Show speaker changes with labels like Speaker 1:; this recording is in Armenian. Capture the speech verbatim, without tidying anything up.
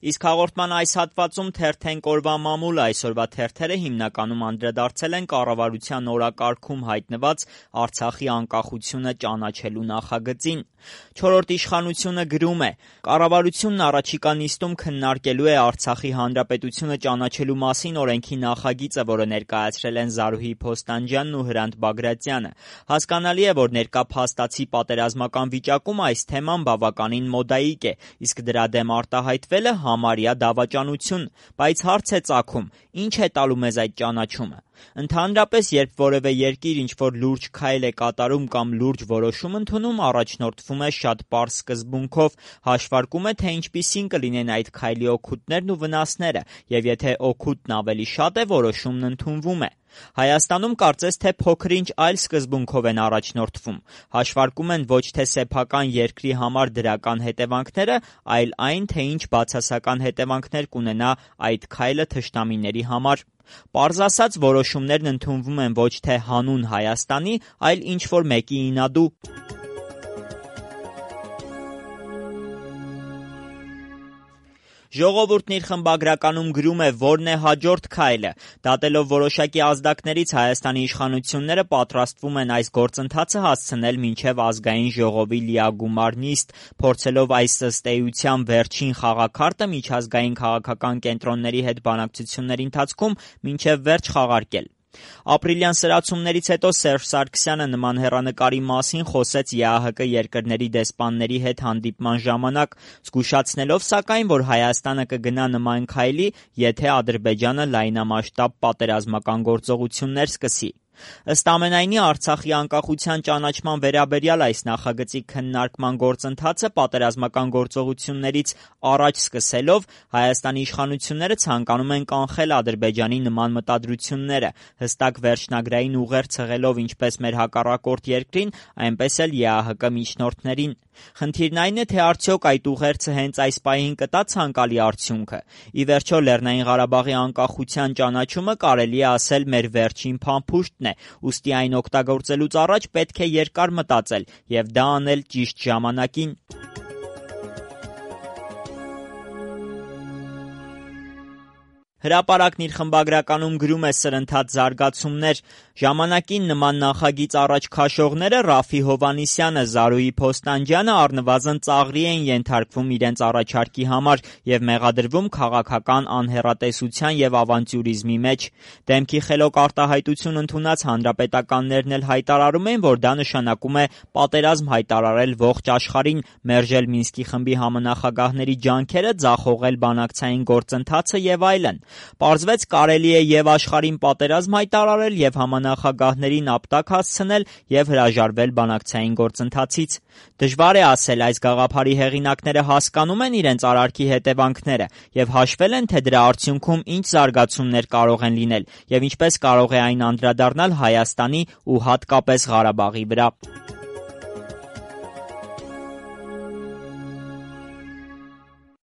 Speaker 1: Իսկ հաղորդման այս հատվածում թերթենք օրվա մամուլը, այսօրվա թերթերը հիմնականում անդրադարձել են կառավարության օրակարգում հայտնված Արցախի անկախությունը ճանաչելու նախագծին։ Չորրորդ իշխանությունը գրում է. կառավարությունն առաջիկա նիստում քննարկելու է Արցախի հանրապետությունը ճանաչելու մասին օրենքի նախագիծը, որը ներկայացրել են Զարուհի Փոստանջյանն ու Հրանտ Բագրատյանը։ Հասկանալի է, որ ներկա փաստացի պատերազմական վիճակում այս թեման բավականին մոդայիկ է, իսկ դրա դեմ արտահայտվելը համարյա դավաճանություն, բայց հարց է ծագում, ինչ է տալու մեզ այդ ճանաչումը։ Ընդհանրապես, երբ որևէ երկիր ինչ-որ լուրջ քայլ է կատարում կամ լուրջ որոշում ընդունում, առաջնորդվում է շատ պարզ սկզբունքով, հաշվարկում է, թե ինչպիսին կլինեն այդ քայլի օգուտներն ու վնասները, եւ եթե օգուտն ավելի շատ է, որոշումն ընդունվում է։ Հայաստանում կարծես թե փոքր-ինչ այլ սկզբունքով են առաջնորդվում, հաշվարկում են ոչ թե սեփական երկրի համար դրական հետևանքները, այլ այն, թե ինչ բացասական հետևանքներ կունենա այդ քայլը թշնամիների համար։ Պարզ ասած, որոշումներն ընդունվում են ոչ թե հանուն Հայաստանի, այլ ինչ-որ մեկի ինադու։ Ժողովուրդն իր խմբագրականում գրում է, որն է հաջորդ քայլը։ Դատելով որոշակի ազդակներից Հայաստանի իշխանությունները պատրաստվում են այս գործընթացը հասցնել մինչև ազգային ժողովի լիագումար նիստ, փորձելով այս ըստ էության վերջին խաղաքարտը միջազգային քաղաքական կենտրոնների հետ բանակցությունների ընթացքում մինչև վերջ խաղարկել։ Ապրիլյան սրացումներից հետո Սերժ Սարգսյանը նման հեռանկարի մասին խոսեց Է Ա Հ Կ երկրների դեսպանների հետ հանդիպման ժամանակ, զգուշացնելով սակայն, որ Հայաստանը կգնա նման քայլի, եթե Ադրբեջանը լայնամասշտաբ պատերազմական գործողություններ սկսի։ Ըստ ամենայնի, Արցախի անկախության ճանաչման վերաբերյալ այս նախագծի քննարկման գործընթացը պատերազմական գործողություններից առաջ սկսելով Հայաստանի իշխանությունները ցանկանում են կանխել Ադրբեջանի նման մտադրությունները, հստակ վերջնագրային ուղերձ հղելով ինչպես մեր հակառակորդ երկրին, այնպես էլ Է Ա Հ Կ միջնորդներին։ Խնդիրն այն է, թե արդյոք այդ ուղերձը հենց այս պահին կտա ցանկալի արդյունքը։ Ի վերջո, Լեռնային Ղարաբաղի անկախության ճանաչումը կարելի է ասել մեր վերջին փամփուշտն է, ուստի այն օգտագործելուց առաջ պետք է երկար մտածել եւ դա անել ճիշտ ժամանակին։ Հրապարակն իր խմբագրականում գրում է սրընթաց զարգացումներ։ Ժամանակին նման նախագիծ առաջ քաշողները Ռաֆի Հովհաննիսյանը, Զարուհի Փոստանջյանը առնվազն ծաղրի են ենթարկվում իրենց առաջարկի համար եւ մեղադրվում քաղաքական անհեռատեսության եւ ավանտյուրիզմի մեջ։ Դեմքի խելոք արտահայտություն ընդունած հանրապետականներն էլ հայտարարում են, որ դա նշանակում է պատերազմ հայտարարել ողջ աշխարհին, մերժել Մինսկի խմբի համանախագահների ջանքերը, ձախողել բանակցային գործընթացը եւ այլն։ Պարզվեց կարելի է եւ աշխարհին պատերազմ հայտարարել եւ համանախագահներին ապտակ հասցնել եւ հրաժարվել բանակցային գործընթացից։ Դժվար է ասել, այս գաղափարի հեղինակները հասկանում են իրենց արարքի հետևանքները եւ հաշվել են, թե դրա արդյունքում ինչ զարգացումներ կարող են լինել եւ ինչպես կարող է այն անդրադառնալ Հայաստանի ու հատկապես Ղարաբաղի վրա։